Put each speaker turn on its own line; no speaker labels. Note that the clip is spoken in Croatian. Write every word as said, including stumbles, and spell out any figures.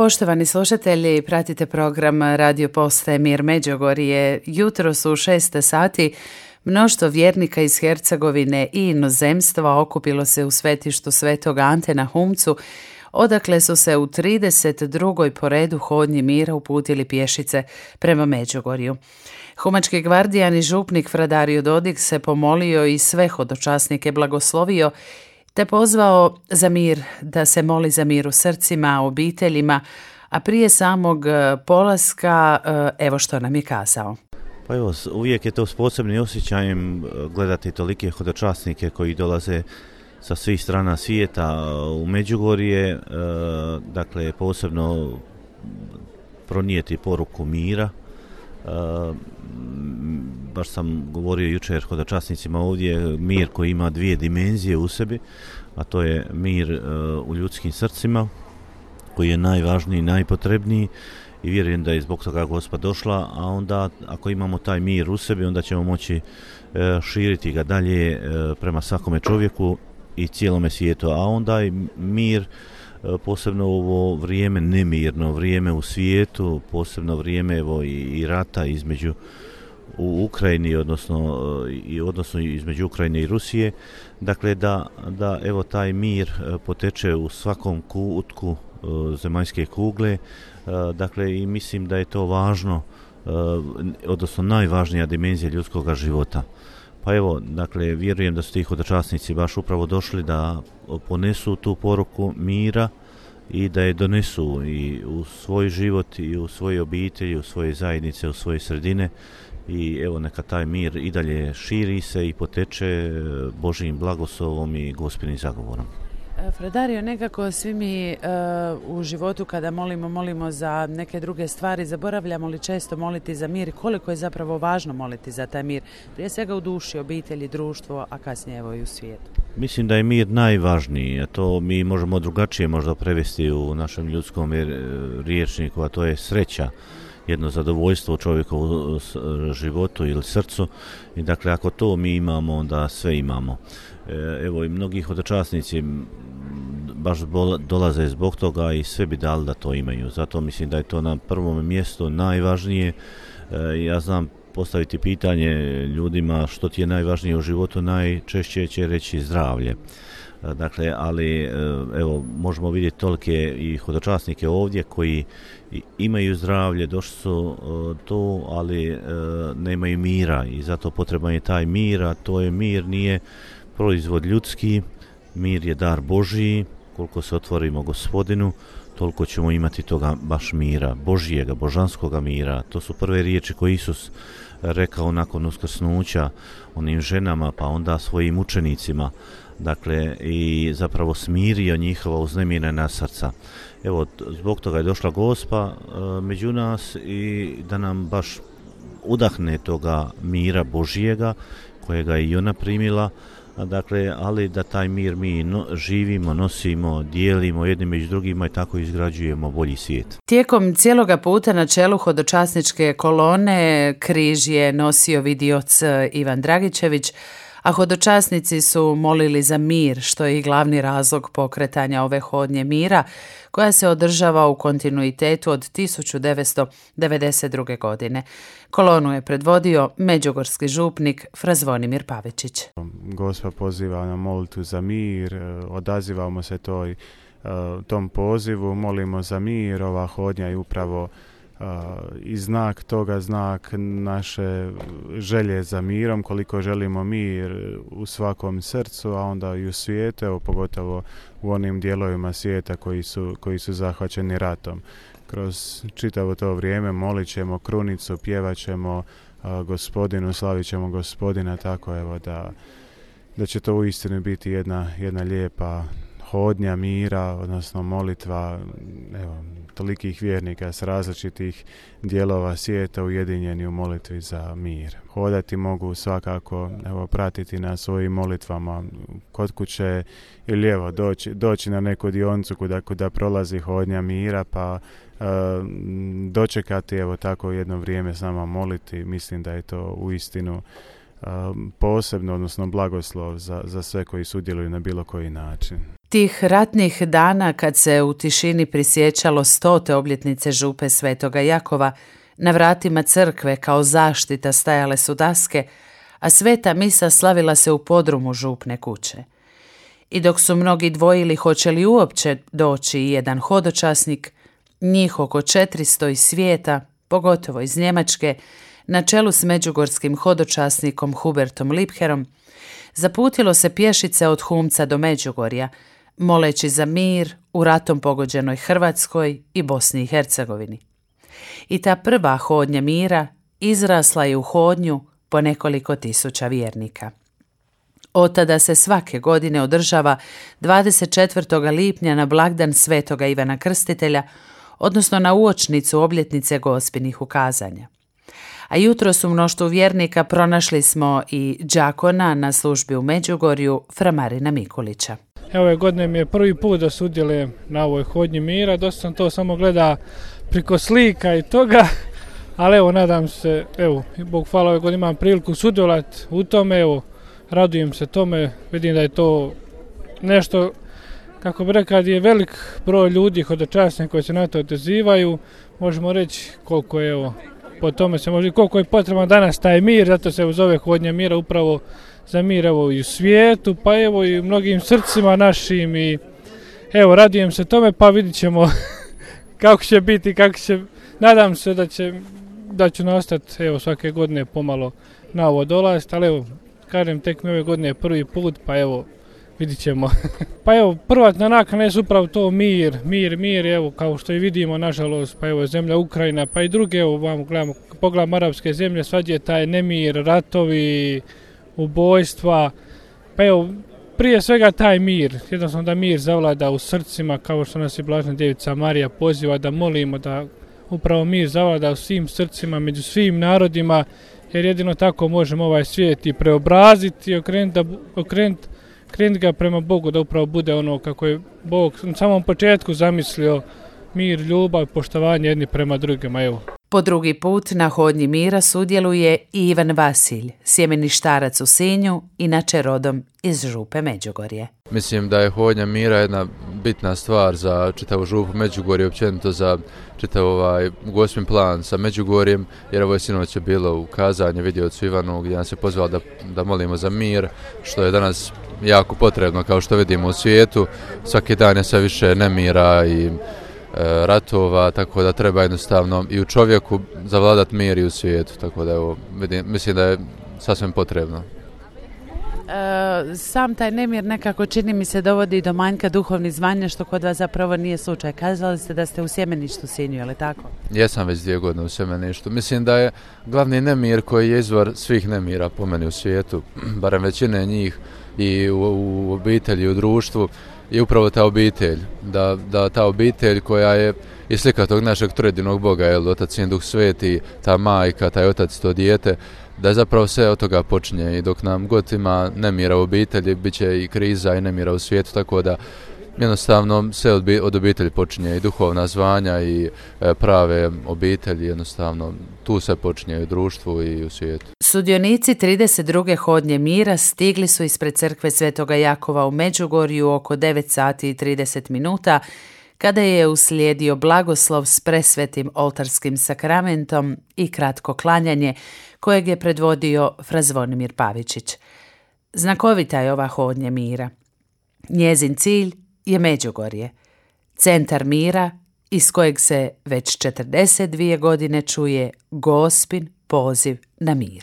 Poštovani slušatelji, pratite program Radio Postaje Mir Međugorje. Jutros u šest sati mnoštvo vjernika iz Hercegovine i inozemstva okupilo se u svetištu Svetog Ante na Humcu, odakle su se u trideset drugoj po redu hodnji mira uputili pješice prema Međugorju. Humački gvardijan i župnik Fra Dario Dodik se pomolio i sve hodočasnike blagoslovio, te pozvao za mir, da se moli za mir u srcima, obiteljima, a prije samog polaska evo što nam je kazao.
Pa evo, uvijek je to s posebnim osjećajem gledati tolike hodočasnike koji dolaze sa svih strana svijeta u Međugorje, dakle posebno pronijeti poruku mira. Baš sam govorio jučer hodočasnicima ovdje, mir koji ima dvije dimenzije u sebi, a to je mir u ljudskim srcima, koji je najvažniji i najpotrebniji, i vjerujem da je zbog toga Gospa došla, a onda ako imamo taj mir u sebi, onda ćemo moći širiti ga dalje prema svakome čovjeku i cijelome svijetu, a onda i mir, posebno ovo vrijeme nemirno, vrijeme u svijetu, posebno vrijeme evo i, i rata između u Ukrajini, odnosno i odnosno između Ukrajine i Rusije, dakle da, da evo taj mir poteče u svakom kutku zemaljske kugle, dakle i mislim da je to važno, odnosno najvažnija dimenzija ljudskog života. Pa evo, dakle, vjerujem da su ti hodočasnici baš upravo došli da ponesu tu poruku mira i da je donesu i u svoj život i u svoje obitelji, u svoje zajednice, u svoje sredine, i evo neka taj mir i dalje širi se i poteče Božjim blagoslovom i Gospinim zagovorom.
Fra Dario, nekako svi mi uh, u životu kada molimo, molimo za neke druge stvari, zaboravljamo li često moliti za mir i koliko je zapravo važno moliti za taj mir, prije svega u duši, obitelji, društvo, a kasnije evo i u svijetu.
Mislim da je mir najvažniji, a to mi možemo drugačije možda prevesti u našem ljudskom rječniku, a to je sreća, jedno zadovoljstvo u čovjekovu životu ili srcu, i dakle ako to mi imamo, onda sve imamo. Evo i mnogi hodočasnici baš dolaze zbog toga i sve bi dali da to imaju. Zato mislim da je to na prvom mjestu najvažnije. Ja znam postaviti pitanje ljudima što ti je najvažnije u životu, najčešće će reći zdravlje. Dakle, ali evo možemo vidjeti tolike i hodočasnike ovdje koji imaju zdravlje, došli su tu, ali nemaju mira, i zato potreban je taj mir, a to je mir nije proizvod ljudski, mir je dar Božiji. Koliko se otvorimo Gospodinu, toliko ćemo imati toga baš mira, Božijega, božanskoga mira. To su prve riječi koje Isus rekao nakon uskrsnuća onim ženama, pa onda svojim učenicima, dakle i zapravo smirio njihova uznemirena srca. Evo, zbog toga je došla Gospa e, među nas i da nam baš udahne toga mira Božijega, kojega je i ona primila. Dakle, ali da taj mir mi no, živimo, nosimo, dijelimo jednim među drugima i tako izgrađujemo bolji svijet.
Tijekom cijeloga puta na čelu hodočasničke kolone križ je nosio vidioc Ivan Dragičević, a hodočasnici su molili za mir, što je i glavni razlog pokretanja ove hodnje mira, koja se održava u kontinuitetu od tisuću devetsto devedeset druge. godine. Kolonu je predvodio međugorski župnik Fra Zvonimir Pavičić.
Gospa poziva na molitvu za mir, odazivamo se toj, tom pozivu, molimo za mir. Ova hodnja je upravo Uh, i znak toga, znak naše želje za mirom, koliko želimo mir u svakom srcu, a onda i u svijetu, evo, pogotovo u onim dijelovima svijeta koji su, koji su zahvaćeni ratom. Kroz čitavo to vrijeme molit ćemo krunicu, pjevat ćemo uh, Gospodinu, slavit ćemo Gospodina, tako evo da, da će to uistinu biti jedna, jedna lijepa hodnja mira, odnosno molitva, evo, tolikih vjernika s različitih dijelova svijeta ujedinjeni u molitvi za mir. Hodati mogu svakako, evo, pratiti na svojim molitvama kod kuće ili evo doći, doći na neku dioncu kuda, kuda prolazi hodnja mira, pa e, dočekati evo tako jedno vrijeme s nama moliti. Mislim da je to uistinu e, posebno, odnosno blagoslov za, za sve koji sudjeluju na bilo koji način.
Tih ratnih dana kad se u tišini prisjećalo stote obljetnice župe Svetoga Jakova, na vratima crkve kao zaštita stajale su daske, a sveta misa slavila se u podrumu župne kuće. I dok su mnogi dvojili hoće li uopće doći jedan hodočasnik, njih oko četiristo iz svijeta, pogotovo iz Njemačke, na čelu s međugorskim hodočasnikom Hubertom Lipherom, zaputilo se pješice od Humca do Međugorja, moleći za mir u ratom pogođenoj Hrvatskoj i Bosni i Hercegovini. I ta prva hodnja mira izrasla je u hodnju po nekoliko tisuća vjernika. Od tada se svake godine održava dvadeset četvrtog lipnja na blagdan Svetoga Ivana Krstitelja, odnosno na uočnicu obljetnice Gospinih ukazanja. A jutro su mnoštvu vjernika pronašli smo i đakona na službi u Međugorju, fra Marina Mikulića.
Evo, ove godine mi je prvi put da sudjelujem na ovoj hodnji mira, dosta sam to samo gleda priko slika i toga, ali evo, nadam se, evo, Bog hvala, ove godine imam priliku sudjelovati u tome, evo, radujem se tome, vidim da je to nešto, kako bi rekao, je velik broj ljudi hodočasnika koji se na to odazivaju, možemo reći koliko je, evo, po tome se može, koliko je potreban danas taj mir, zato se zove hodnja mira upravo za mir, evo, i u svijetu, pa evo i u mnogim srcima našim i evo, radujem se tome, pa vidit ćemo kako će biti, kako će, nadam se da će, da ću naostati, evo, svake godine pomalo na ovo dolaziti, ali evo, kažem, tek mi ove godine prvi put, pa evo, vidit ćemo. Pa evo, prvatna nakana je upravo to mir, mir, mir, evo, kao što i vidimo, nažalost, pa evo, zemlja Ukrajina, pa i druge, evo, vam gledamo, pogledamo arapske zemlje, svađe je taj nemir, ratovi, ubojstva, pa evo, prije svega taj mir, jednostavno da mir zavlada u srcima, kao što nas i Blažena Djevica Marija poziva da molimo da upravo mir zavlada u svim srcima, među svim narodima, jer jedino tako možemo ovaj svijet i preobraziti i okrenuti, okrenuti, okrenuti ga prema Bogu, da upravo bude ono kako je Bog na samom početku zamislio, mir, ljubav, poštovanje jedni prema drugima. Evo.
Po drugi put na hodnji mira sudjeluje i Ivan Vasilj, sjemeništarac u Sinju, inače rodom iz župe Međugorje.
Mislim da je hodnja mira jedna bitna stvar za čitavu župu Međugorje, općenito za čitav ovaj Gospin plan sa Međugorjem, jer ovo je sinoć je bilo ukazanje vidjevcu Ivanu gdje nas je pozvao da, da molimo za mir, što je danas jako potrebno, kao što vidimo u svijetu. Svaki dan je sve više nemira i ratova, tako da treba jednostavno i u čovjeku zavladati mir i u svijetu, tako da evo, vidim, mislim da je sasvim potrebno.
E, sam taj nemir nekako čini mi se dovodi do manjka duhovnih zvanja, što kod vas zapravo nije slučaj. Kazali ste da ste u sjemeništu Sinju, je li tako?
Jesam već dvije godine u sjemeništu. Mislim da je glavni nemir koji je izvor svih nemira po meni u svijetu, barem većine njih i u, u obitelji, u društvu, je upravo ta obitelj, da, da ta obitelj koja je i slika tog našeg trojedinog Boga, jel, Otac, Sin, Duh Sveti, ta majka, taj otac, to dijete, da je zapravo sve od toga počinje i dok nam god ima nemira u obitelji, bit će i kriza i nemira u svijetu, tako da jednostavno sve od, od obitelji počinje i duhovna zvanja i e, prave obitelji, jednostavno tu se počinje i u društvu i u svijetu.
Sudionici trideset druge hodnje mira stigli su ispred crkve Svetoga Jakova u Međugorju oko devet sati i trideset minuta, kada je uslijedio blagoslov s presvetim oltarskim sakramentom i kratko klanjanje, kojeg je predvodio fra Zvonimir Pavičić. Znakovita je ova hodnja mira. Njezin cilj je Međugorje, centar mira iz kojeg se već četrdeset dvije godine čuje Gospin poziv na mir.